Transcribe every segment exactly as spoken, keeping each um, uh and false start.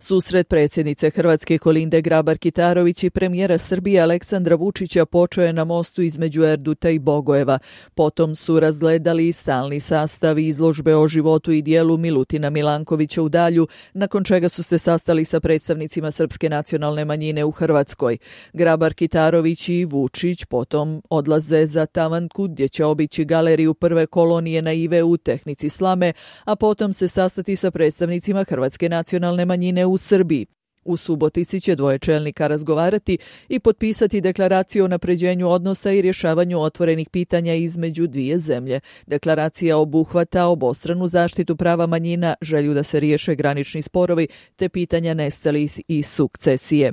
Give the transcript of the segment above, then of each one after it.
Susret predsjednice Hrvatske Kolinde Grabar-Kitarović i premijera Srbije Aleksandra Vučića počeo je na mostu između Erduta i Bogojeva. Potom su razgledali stalni sastav izložbe o životu i dijelu Milutina Milankovića u Dalju, nakon čega su se sastali sa predstavnicima srpske nacionalne manjine u Hrvatskoj. Grabar-Kitarović i Vučić potom odlaze za Tavanku, gdje će obići galeriju prve kolonije naive u tehnici slame, a potom se sastati sa predstavnicima hrvatske nacionalne manjine u Srbiji. U Subotici će dvoje čelnika razgovarati i potpisati deklaraciju o unapređenju odnosa i rješavanju otvorenih pitanja između dvije zemlje. Deklaracija obuhvata obostranu zaštitu prava manjina, želju da se riješe granični sporovi te pitanja nestalih i sukcesije.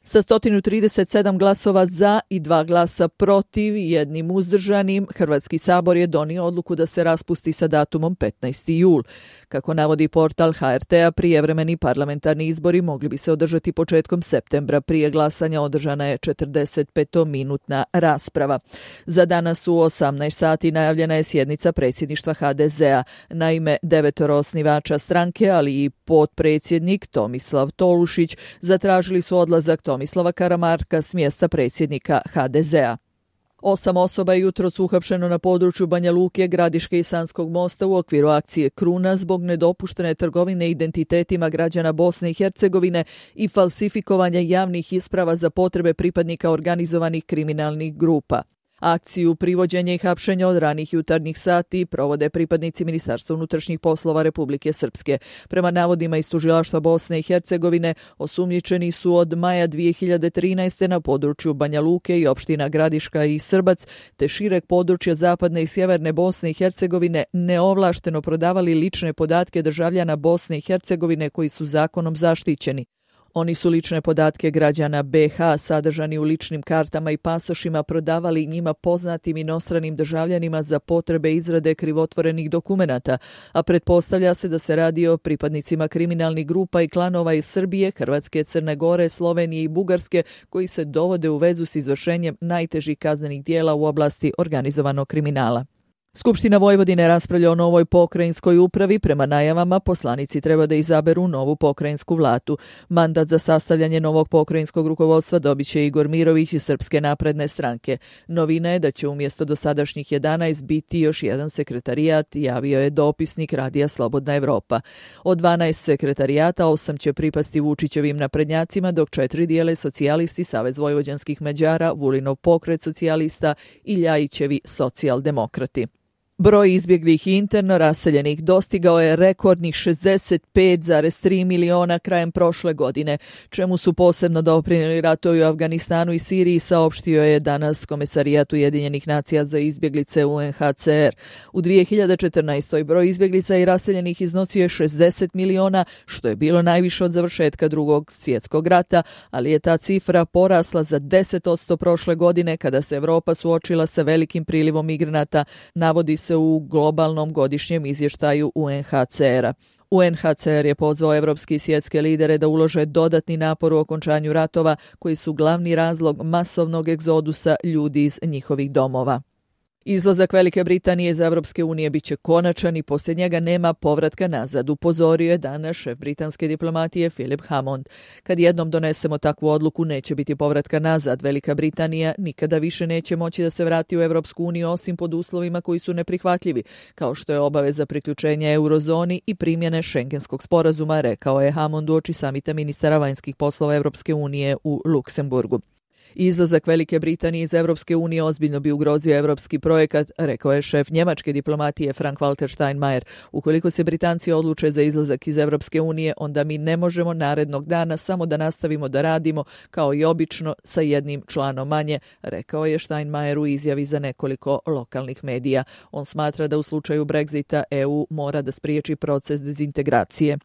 Sa sto trideset sedam glasova za i dva glasa protiv i jednim uzdržanim, Hrvatski sabor je donio odluku da se raspusti sa datumom petnaesti jul. Kako navodi portal ha er te a, prijevremeni parlamentarni izbori mogli bi se održati početkom septembra. Prije glasanja održana je četrdesetpetominutna rasprava. Za danas u osamnaest sati najavljena je sjednica predsjedništva ha de ze a. Naime, devetoro osnivača stranke, ali i potpredsjednik Tomislav Tolušić zatražili su odlazak Tomislava Karamarka s mjesta predsjednika ha de ze a. Osam osoba je jutros uhapšeno na području Banja Luke, Gradiške i Sanskog mosta u okviru akcije Kruna zbog nedopuštene trgovine identitetima građana Bosne i Hercegovine i falsifikovanja javnih isprava za potrebe pripadnika organizovanih kriminalnih grupa. Akciju privođenja i hapšenja od ranih jutarnjih sati provode pripadnici Ministarstva unutrašnjih poslova Republike Srpske. Prema navodima iz tužilaštva Bosne i Hercegovine, osumnjičeni su od maja dvije hiljade trinaeste. na području Banja Luke i opština Gradiška i Srbac, te šireg područja zapadne i sjeverne Bosne i Hercegovine neovlašteno prodavali lične podatke državljana Bosne i Hercegovine koji su zakonom zaštićeni. Oni su lične podatke građana be ha sadržani u ličnim kartama i pasošima prodavali njima poznatim inostranim državljanima za potrebe izrade krivotvorenih dokumenata, a pretpostavlja se da se radi o pripadnicima kriminalnih grupa i klanova iz Srbije, Hrvatske, Crne Gore, Slovenije i Bugarske koji se dovode u vezu s izvršenjem najtežih kaznenih dijela u oblasti organizovanog kriminala. Skupština Vojvodine raspravlja o novoj pokrajinskoj upravi. Prema najavama, poslanici treba da izaberu novu pokrajinsku vladu. Mandat za sastavljanje novog pokrajinskog rukovodstva dobit će Igor Mirović iz Srpske napredne stranke. Novina je da će umjesto dosadašnjih jedanaest biti još jedan sekretarijat, javio je dopisnik Radija Slobodna Evropa. Od dvanaest sekretarijata, osam će pripasti Vučićevim naprednjacima, dok četiri dijele socijalisti, Savez vojvođanskih Mađara, Vulinov pokret socijalista i Ljajićevi socijaldemokrati. Broj izbjeglih i interno raseljenih dostigao je rekordnih šezdeset pet zarez tri miliona krajem prošle godine, čemu su posebno doprinijeli ratovi u Afganistanu i Siriji, saopštio je danas Komesarijat Ujedinjenih nacija za izbjeglice u en ha ce er. U dvije hiljade četrnaestoj. broj izbjeglica i raseljenih iznosio je šezdeset miliona, što je bilo najviše od završetka drugog svjetskog rata, ali je ta cifra porasla za deset posto prošle godine kada se Evropa suočila sa velikim prilivom migranata, navodi se u globalnom godišnjem izvještaju u en ha ce er a. u en ha ce er je pozvao evropske i svjetske lidere da ulože dodatni napor u okončanju ratova koji su glavni razlog masovnog egzodusa ljudi iz njihovih domova. Izlazak Velike Britanije iz Evropske unije biće konačan i poslije njega nema povratka nazad, upozorio je danas šef britanske diplomatije Philip Hammond. Kad jednom donesemo takvu odluku, neće biti povratka nazad. Velika Britanija nikada više neće moći da se vrati u Evropsku uniju osim pod uslovima koji su neprihvatljivi, kao što je obaveza priključenja eurozoni i primjene Schengenskog sporazuma, rekao je Hammond uoči samita ministara vanjskih poslova Evropske unije u Luksemburgu. Izlazak Velike Britanije iz Evropske unije ozbiljno bi ugrozio evropski projekat, rekao je šef njemačke diplomatije Frank-Walter Steinmeier. Ukoliko se Britanci odluče za izlazak iz Evropske unije, onda mi ne možemo narednog dana samo da nastavimo da radimo kao i obično sa jednim članom manje, rekao je Steinmeier u izjavi za nekoliko lokalnih medija. On smatra da u slučaju Brexita e u mora da spriječi proces dezintegracije.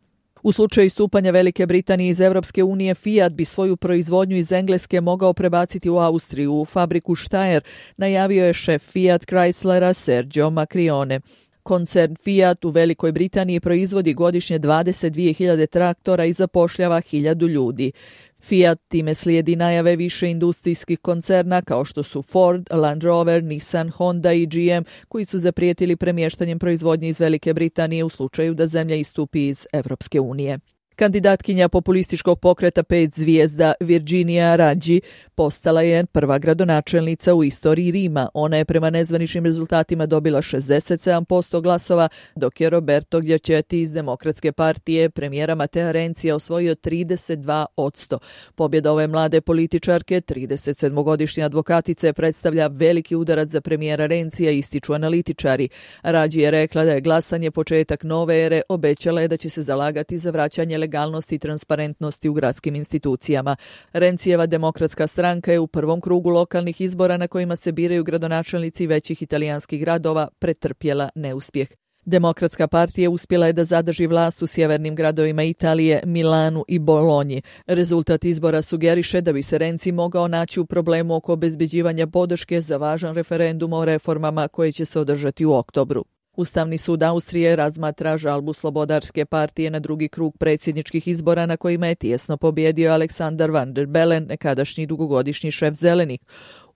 U slučaju istupanja Velike Britanije iz Evropske unije, Fiat bi svoju proizvodnju iz Engleske mogao prebaciti u Austriju, u fabriku Steyr, najavio je šef Fiat Chryslera Sergio Macrione. Koncern Fiat u Velikoj Britaniji proizvodi godišnje dvadeset dvije hiljade traktora i zapošljava hiljadu ljudi. Fiat time slijedi najave više industrijskih koncerna kao što su Ford, Land Rover, Nissan, Honda i ge em koji su zaprijetili premještanjem proizvodnje iz Velike Britanije u slučaju da zemlja istupi iz Evropske unije. Kandidatkinja populističkog pokreta pet zvijezda Virginia Raggi postala je prva gradonačelnica u istoriji Rima. Ona je prema nezvaničnim rezultatima dobila šezdeset sedam posto glasova, dok je Roberto Giachetti iz Demokratske partije premijera Matea Renzija osvojio trideset dva posto. Pobjeda ove mlade političarke, trideset sedmogodišnje advokatice, predstavlja veliki udarac za premijera Renzija, ističu analitičari. Raggi je rekla da je glasanje početak nove ere, obećala je da će se zalagati za vraćanje legalnosti i transparentnosti u gradskim institucijama. Renzijeva demokratska stranka je u prvom krugu lokalnih izbora na kojima se biraju gradonačelnici većih italijanskih gradova pretrpjela neuspjeh. Demokratska partija uspjela je da zadrži vlast u sjevernim gradovima Italije, Milanu i Bolonji. Rezultat izbora sugeriše da bi se Renzi mogao naći u problemu oko obezbeđivanja podrške za važan referendum o reformama koje će se održati u oktobru. Ustavni sud Austrije razmatra žalbu Slobodarske partije na drugi krug predsjedničkih izbora na kojima je tijesno pobjedio Aleksandar Van der Bellen, nekadašnji dugogodišnji šef Zelenih.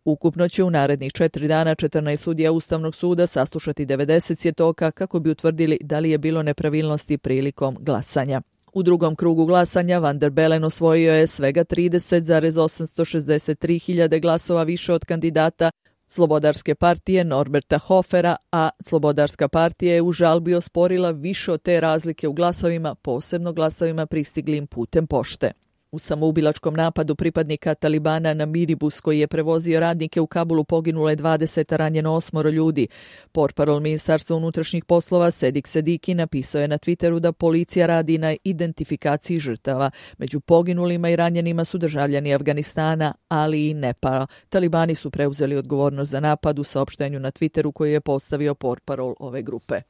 Ukupno će u narednih četiri dana četrnaest sudija Ustavnog suda saslušati devedeset svjedoka kako bi utvrdili da li je bilo nepravilnosti prilikom glasanja. U drugom krugu glasanja Van der Bellen osvojio je svega trideset zarez osamsto šezdeset tri hiljade glasova više od kandidata Slobodarske partije Norberta Hofera, a Slobodarska partija je u žalbi osporila više od te razlike u glasovima, posebno glasovima pristiglim putem pošte. U samoubilačkom napadu pripadnika Talibana na minibus koji je prevozio radnike u Kabulu poginulo je dvadeset, a ranjeno osmoro ljudi. Portparol Ministarstva unutrašnjih poslova Sedik Sediki napisao je na Twitteru da policija radi na identifikaciji žrtava. Među poginulima i ranjenima su državljani Afganistana, ali i Nepala. Talibani su preuzeli odgovornost za napad u saopštenju na Twitteru koji je postavio portparol ove grupe.